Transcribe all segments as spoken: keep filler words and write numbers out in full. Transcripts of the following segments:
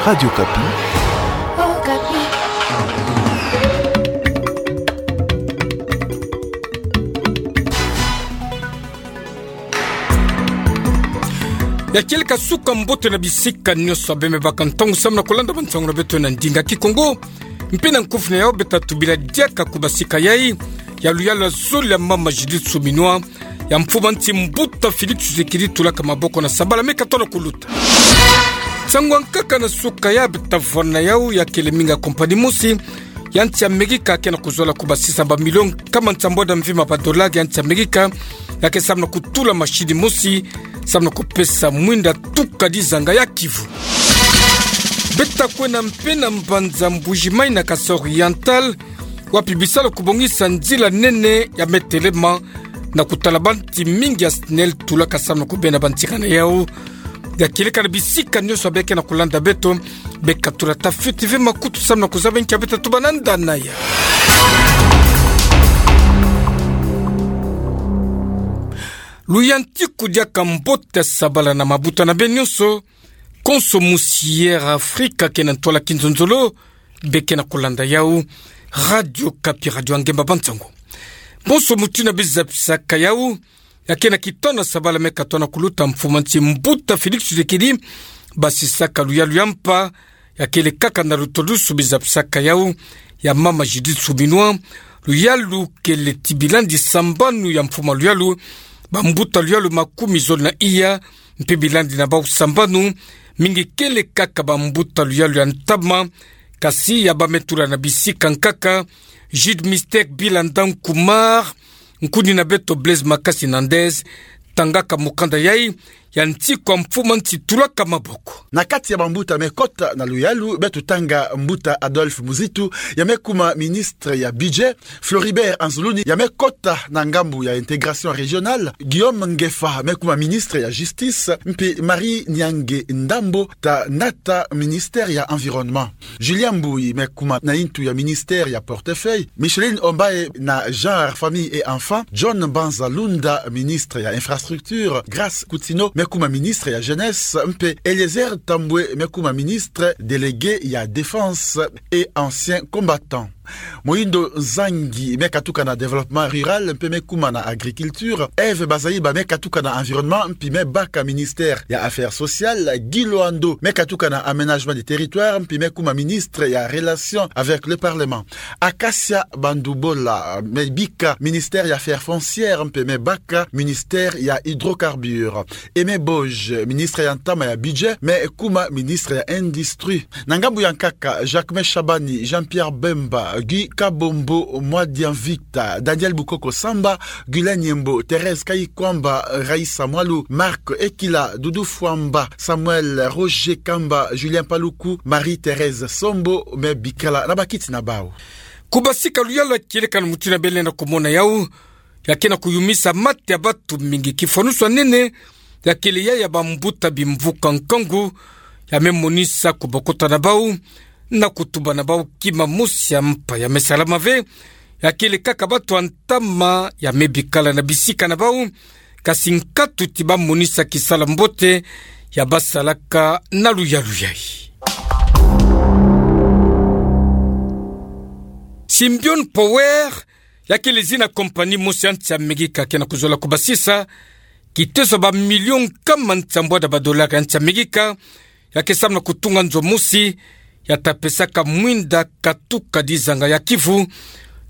Radio Okapi. Ya kieleka suka mbote na bisika nyonso abe me baka ntangu samu na kulanda bansangu na beto na ndinga Kikongo. Mpe na nkufi na yau beta tubila diaka kubasika yai ya luyalu ya zole ya mama Judith Suminwa, ya mfumu a nsi mbuta Félix Tshisekedi tulaka maboko na sabala me katona kuluta. Nsangu ya nkaka na suka ya beta vwanda yau ya kele minga compagnie mosi ya nsi Amerika ke na kuzola kubasisa ba million kama nsambwadi mvimba ba dollar ya nsi Amerika, ya ke samu na kutula machine mosi samu na kupesa mwinda tukadi zanga ya Kivu. Beta kwenda mpe na mbanza Mbuji-Mayi na Kasaï Oriental, wapi bisalu kubongisa nzila nene ya me telema na kutala banti mingi ya SNEL tulaka samu na kubenda bantika na yau. Ya kieleka na bisika nyonso abe ke na kulanda beto, beka tula tafiti ve makutu samu na kuzaba nki ya beta tuba na ndana ya. Luyantiku diaka mbote, sabala na mabuta na beno nyonso. Konso mosi Air Afrique ke na ntwala kinzonzolo, be ke na kulanda yau. Radio Okapi, radio ya ngemba bansangu. Bonso mutu na bizapisaka yau, ya ke na kitona sabala me katona kuluta, mfumu a nsi mbuta Félix Tshisekedi basisaka luyalu ya mpa, ya kele kaka na lutodusu bizapisaka yau ya mama Judith Suminwa. Luyalu kele ti bilandi sambanu ya mfumu a luyalu, bambuta luyalu makumi zole na iya, mpe bilandi na bau sambanu, mingi kele kaka bambuta luyalu ya ntama, kasi ya ba me tula na bisika nkaka: Jude Mystère Bilanda Nkumar, nkuni na beto Blaise Makasi Nandez, tangaka mukanda yai ya nsi kwa mfumu a nsi tulaka maboko. Na kati ya bambuta me kota na luyalu, beto tanga mbuta Adolphe Muzitu, ya me kuma ministre ya Budget, Floribert Anzuluni, ya me kota na ngambu ya intégration régionale, Guillaume Ngefa, me kuma ministre ya Justice, mpe Marie Nyange Ndambo, ta nata ministère ya Environnement. Julien Mbuyi, me kuma na yintu ya ministère ya Portefeuille, Micheline Ombaye na Genre, Famille et Enfants, John Mbanza Lunda, ministre ya Infrastructure, Grace Kutino, me kuma ministre ya Jeunesse, mpe Eliezer Tambwe, me kuma ministre délégué ya Défense et ancien combattant. Moyindo Nzangi, me katuka na Développement Rural, mpe me kuma na Agriculture. Ève Bazaiba, me katuka na Environnement, mpe me baka ministère ya Affaires Sociales. Guy Loando, me katuka na Aménagement du Territoire, mpe me kuma ministre ya Relations avec le Parlement. Acacia Bandubola, me bika ministère ya Affaires Foncières, mpe me baka ministère ya Hydrocarbures. Aimé Boj, ministre ya ntama ya Budget, me kuma ministre ya Industrie. Na ngambu ya nkaka, Jacquemain Shabani, Jean-Pierre Bemba, Guy Kabombo, Mwadia Victor, Daniel Bukoko Samba, Guylain Nyembo, Thérèse Kayikwamba, Raïssa Mwalu, Marc Ekila, Doudou Fwamba, Samuel Roger Kamba, Julien Paluku, Marie-Thérèse Sombo, me bikala na bakiti na bau. Kubasika luyalu ya kieleka na mutu na bele na kumona yau, ya ke na kuyumisa mate ya batu mingi. Kifwanusu ya nene ya kele ya ya bambuta bimvuka nkangu, ya me monisa kubokota na bau na kutuba na bau kima mosi ya mpa. Ya me salama ve, ya kele kaka batu ya ntama ya me bikala na bisika na bau, kasi nkatu ti ba monisa kisala mbote ya ba salaka na luyalu yai. Symbion Power, ya kele zina compagnie mosi ya nsi Amerika ke na kuzola kubasisa kiteso ba million kama nsambwadi ba dollar ya nsi Amerika, ya ke samu na kutunga nzo mosi ya ta pesaka mwinda katuka dizanga ya Kivu,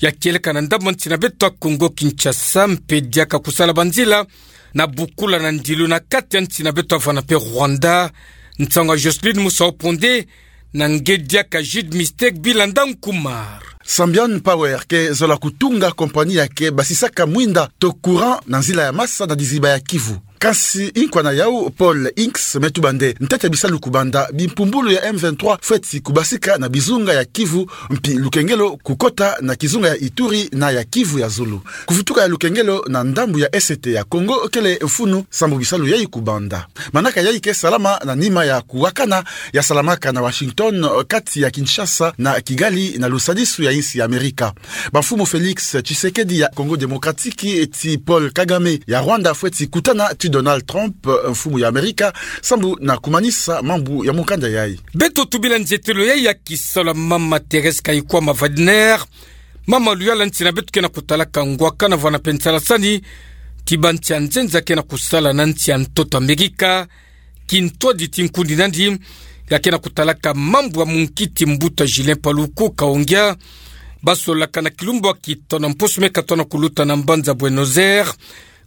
ya kieleka na ndambu nsi na beto ya Congo Kinshasa, mpe diaka kusala banzila na bukula na ndilu na kati ya nsi na beto ya vana mpe Rwanda. Nsangu ya Jocelyne Musau Ponde, na nge diaka Jude Mystère Bilanda Nkumar. Symbion Power ke zola kutunga compagnie ya ke basisaka mwinda to courant na nzila ya masa na diziba ya Kivu. Kasi nkwa na yau Paul Hinks me tuba nde ntete bisalu kubanda bimpumbulu ya M vingt-trois fweti kubasika na bizunga ya Kivu, mpi lukengelo kukota na kizunga ya Ituri na ya Kivu ya zulu. Kuvutuka ya lukengelo na ndambu ya Est ya Congo kele mfunu sambu bisalu yai kubanda. Manaka yai ke salama na nima ya kuwakana ya salamaka na Washington kati ya Kinshasa na Kigali na lusadisu ya insi ya Amerika. Bamfumu Félix Tshisekedi ya Congo Démocratique ti Paul Kagame ya Rwanda fweti kutana ti Donald Trump, mfumu ya Amerika, sambu na kumanisa mambu ya mukanda yayi. Beto tubila nzietelo yayi ya kisalu ya mama Thérèse Kayikwama Wagner, mama luyalu ya nsi na beto ke na kutalaka ngwakana vwana mpe nsalasani ti bansi ya nzenza ke na kusala na nsi ya ntoto Amerika, kintwadi ti nkundi nandi, ya ke na kutalaka mambu ya munkiti mbuta Julien Paluku Kaongia, basolaka na kilumbu ya kitanu mposo me katwa na kuluta na mbanza Buenos Aires,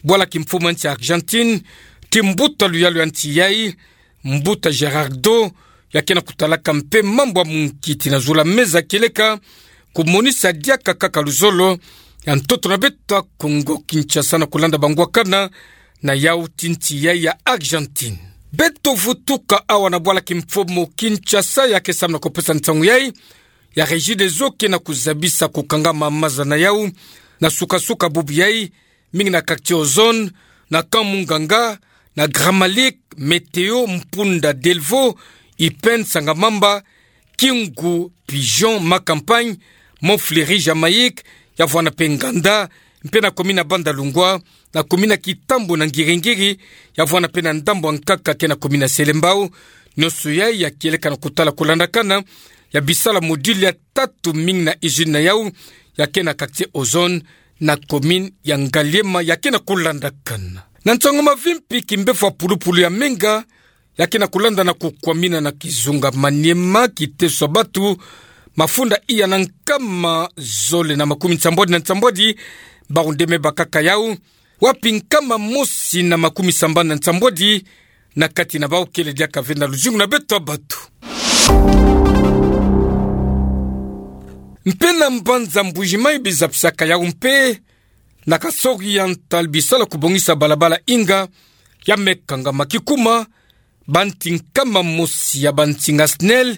bwala kimfumu ya nsi ya Argentine, ti mbuta luyalu ya nsi yayi, mbuta Gerardo, ya ke na kutalaka mpe mambu ya munkiti na zulu ya meza kieleka kumonisa diaka kaka luzolo ya ntoto na beto ya Congo Kinshasa na kulanda bangwakana na yawu ti nsi yayi ya Argentine. Beto vutuka awa na bwala kimfumu Kinshasa, ya ke samu na kupesa nsangu yayi ya Regideso ke na kuzabisa kukangama maza na yawu na suka-suka bubu yayi, mingi na quartier Ozone, na Camp Munganga, na Grand Malik, Météo, Mpunda, Delvaux, Ipène, Sangamamba, Kingu, Pigeon, Ma Campagne, Mont Fleuri, Jamaïque, ya vwana mpe Nganda, mpe na commune ya Bandalungwa, na commune ya Kitambo na Ngiri-Ngiri, ya vwana mpe na ndambu ya nkaka ke na commune ya Selembao. Nionso yayi ya kieleka na kutala kulandakana ya bisalu ya module ya tatu, mingi na usine na yawu ya ke na quartier Ozone, na commune ya Ngaliema ya ke na kulandakana. Na nsangu mavimpi, kimbevo ya pulupulu ya menga ya ke na kulanda na kukwamina na kizunga Maniema, kiteso ya batu mafunda iya na nkama zole na makumi nsambwadi na nsambwadi, bau nde me bakaka yawu, wapi nkama mosi na makumi sambanu na nsambwadi na kati na bau kele diaka ve na luzingu na beto ya batu. Mpe na mbanza Mbujimayi bizapisaka yawu mpe na kasori ya ntal bisalu ya kubongisa balabala Inga ya me kangama kikuma, banti nkama mosi ya bansinga SNEL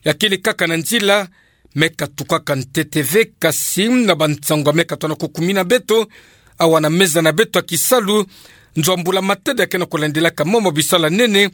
ya kele kaka na nzila, me katukaka ntete ve. Kasi na bansangu ya me katwa na kukumina beto awa na meza na beto ya kisalu, nzo ya mbula matadi ya ke na kulandilaka mama bisalu ya nene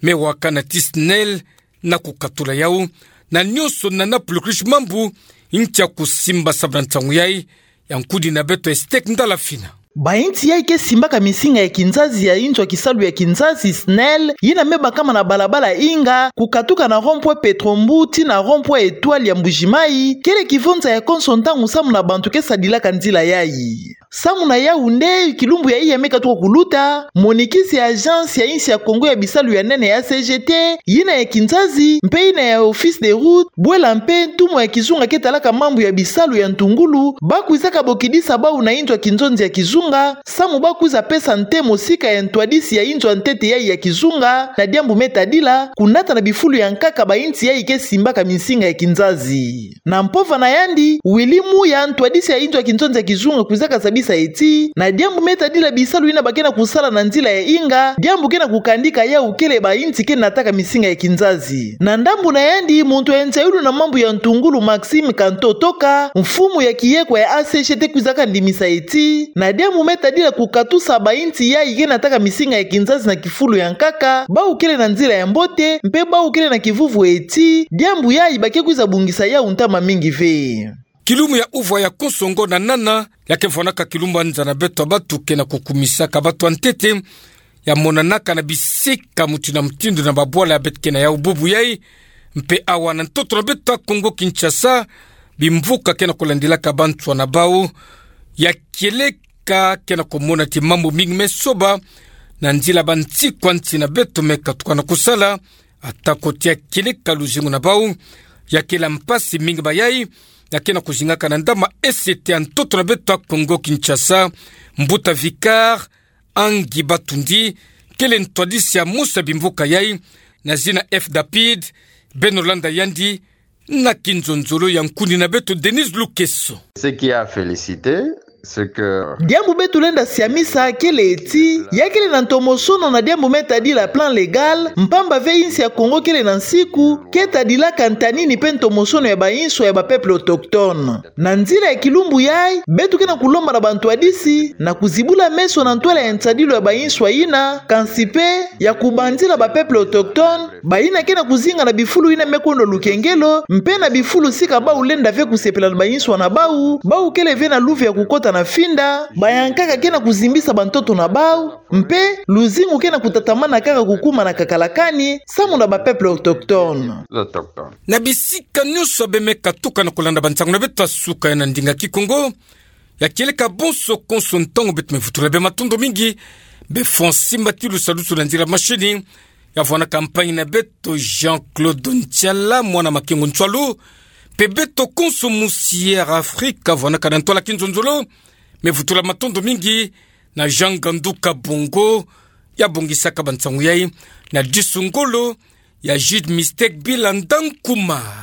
me wakana ti SNEL na kukatula yawu, na nionso nana pulukrish mambu ntia kusimba samu na nsangu yayi, ya nkudi na beto Estek Ndala Fina. Bainsi yayi ke simbaka misinga ya kinzazi ya inzo ya kisalu ya kinzazi SNEL, yina me bakama na balabala Inga, kukatuka na rond-point Petrombu tii na rond-point Etoile ya Mbujimayi, kele kivonza ya konso ntangu samu na bantu ke sadilaka nzila yayi. Samu na yawu nde, kilumbu ya iya me katuka kuluta, monikisi ya Agence ya insi ya Kongo ya bisalu ya nene ya A C G T, yina ya kinzazi, mpe yina ya Office des routes, bwela mpe ntumwa ya kizunga ke talaka mambu ya bisalu ya ntungulu, ba kwizaka bokidisa bau na inzo ya kinzonzi ya kizunga, samu ba kwiza pesa ntemo sika ya ntwadisi ya inzo ya ntete yayi ya kizunga, na diambu me tadila kunata na bifulu ya nkaka bainsi yayi ke simbaka misinga ya kinzazi. Na mpova na yandi, Willy Muya, ntwadisi ya inzo ya kinzonzi ya kizunga, kwizaka zabisa ti, na diambu me tadila bisalu yina ba ke na kusala na nzila ya Inga, diambu ke na kukandika yawu kele bainsi ke nataka misinga ya kinzazi. Na ndambu na yandi, muntu ya nzayulu na mambu ya ntungulu Maxime Kanto Toka, mfumu ya kiyekwa ya A C G T, kwizaka ndimisa ti, na diambu me tadila kukatusa bainsi yayi ke nataka misinga ya kinzazi na kifulu ya nkaka, bau kele na nzila ya mbote, mpe bau kele na kivuvu ti, diambu yayi ba ke kwiza bungisa yawu ntama mingi ve. Kilumbu ya uvwa ya konso ngo na nana, ya ke vwanaka kilumbu ya nza na beto ya batu ke na kukumisaka batu ya ntete, ya monanaka na bisika mutindu na mutindu na babwala ya beto ke na yawu bubu yayi, mpe awa na ntoto na beto ya Kongo Kinshasa, bimvuka ke na kulandilaka banswa na bau, ya kieleka ke na kumona ti mambu mingi me soba na nzila bansiku ya nsi na beto me katuka na kusala, atako ti ya kieleka luzingu na bau, ya kela mpasi mingi bayayi, ya ke na kuzingaka na ndama esete ya ntoto na beto ya Kongo Kinshasa, mbuta Vicar Angi Batundi, kele ntwadisi ya mosi ya bimvuka yayi, na zina F Dapid, beno landa yandi na kinzonzolo ya nkuni na beto Denise Lukeso. Ce qui est à féliciter, c'est que Diambu beto lenda siamisa kele ti, ya kele na ntomosono na diambu me tadila plan légal, mpamba ve insi ya Kongo kele na nsiku, ke tadilaka ntanini mpe ntomosono ya bainswa ya ba peuple autochtone. Na nzila ya kilumbu yayi, beto ke na kulomba na bantwadisi, na kuzibula meso na ntwala ya nsadilu ya bainswa yina, kansi mpe, ya kubanzila ba peuple autochtone, bayina ke na kuzinga na bifulu yina me kwenda lukengelo, mpe na bifulu sika bau lenda ve kusepela na bainswa na bau, bau kele ve na luve ya kukota na finda, bayankaka ke na kuzimbisa bantoto na bau, mpe luzingu ke na kutatamana kaka kukuma na kakalakani, samu na ba peuple autochtone. Na bisika nyonso bemeka tuka na kulanda bansangu na beto ya suka ya na ndinga Kikongo, ya kieleka bonso konso ntangu beto me vutula bê matondo mingi, bê Fonsi Mbatilu Salusu na nzila mashini, ya vwandaka mpangi na beto Jean-Claude Ntiala, mwana Makengo Ntsualu, mpe beto konso musi Air Afrique, vwandaka na ntwala kinzonzolo, me vutula matondo mingi na Jean Ngandu Kabongo, ya bongisaka bansangu yai, na disu ngolo ya Jude Mistake Bila Ndankuma.